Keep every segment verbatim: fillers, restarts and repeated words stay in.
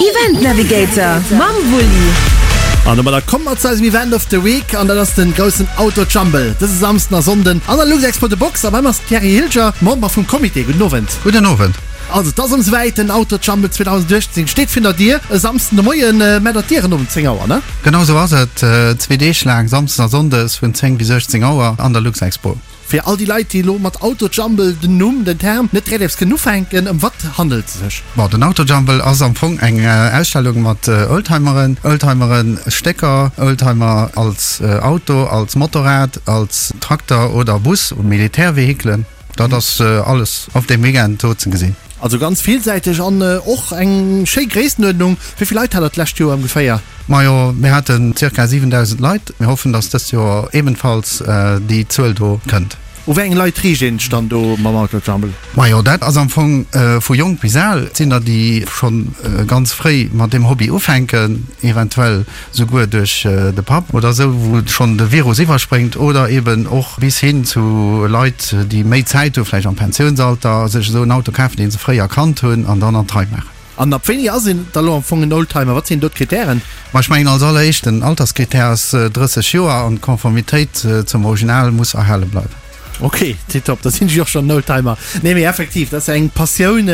Event Navigator mam Wulli. An domadder komme mer zu eisem Event of the Week an dat ass den groussen Auto Jumble dëse Samsden a Sonnden an der Luxexpo The Box. A bei mer ass den Thierry Hilger, Member vum Comité. Gudden Owend. Gudden Owend. Also et ass erëm souwäit, den Auto Jumble zweedausendachtzéng steet virun der Dier. E Samsden de Moien maacht der d'Dieren op um zéng Auer, ne? Genau sou ass et. Zwee Deeg laang, Samsdes a Sonndes vun zéng bis uechtzéng Auer an der Luxexpo. Fir all déi Leit, déi elo mat Autojumble, den Numm, den Term, net direkt eppes kënnen ufänken, ëm wat handelt e sech? Bon, den Autojumble ass am Fong eng Ausstellung mat Oldtimeren, Oldtimeren Stécker, Oldtimer als Auto, als Motorrad, als Trakter oder Bus, Militärvehikelen. Dat ass alles op deem Weekend do ze gesinn. Also ganz villsäiteg an och eng schéi Gréisstenuerdnung. Wéi vill Leit hat der d'lescht Joer ëmgeféier? Majo, mir haten zirka siwendausend Leit. Mir hoffen, dass dëst Joer ebenfalls déi Zuel do kënnt. U wéi eng Leit riicht een sech dann do mam Autojumble? Majo, dat ass am Fong vu jonk bis al. Et sinn der, déi scho ganz fréi mat deem Hobby ufänken, eventuell souguer duerch de Papp oder esou, wou schonn de Virus iwwerspréngt, oder eben och bis hin zu Leit, déi méi Zäit hu, vläicht am Pensiounsalter, sech esou en Auto kafen, dee se fréier kannt hunn, an dann an d'Rei maachen. An ab wéini ass een da lo am Fong en Oldtimer? Wat sinn do d'Kritären? Ma ech mengen als alleréischt, den Alterskritär ass drësseg Joer an d'Konformitéit zum Original muss erhale bleiwen. Ok, tiptop, da sinn ech jo och schonn en Oldtimer. Nee, mee effektiv, dat ass eng Passioun,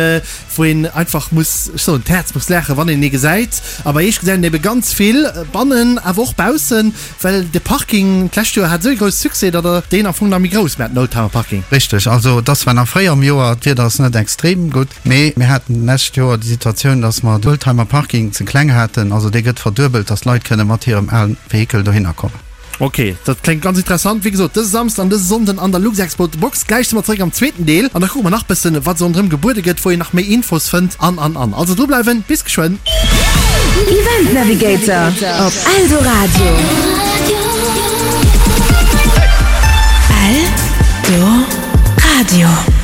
wou een einfach muss, ech soen, d'Häerz muss laachen, wann een ee gesäit. A bei iech gesäit een ebe ganz vill, bannen awer och baussen, well de Parking d'lescht Joer hat esou ee grousse Succès, datt der deen am Fong nach méi grouss maacht, den Oldtimer Parking. Richteg, also et ass zwar nach fréi am Joer, d'Wieder ass net extrem gutt, mee mir haten d'lescht Joer déi Situatioun, datt mer de Oldtimer Parking ze kleng haten. Also dee gëtt verduebelt, datt d'Leit kënne mat hirem alen Vehikel dohinner kommen. Ok, dat kléngt ganz interessant. Wéi gesot, dëse Samsden an dëse Sonnden an der Luxexpo The Box. Gläich si mer zeréck am zweeten Deel an da kucke mer nach bëssen, wat esou ronderëm gebuede gëtt, wou een nach méi Infos fënnt an, an, an. Also drubleiwen, bis geschwënn! Event Navigator op Eldoradio. Eldoradio.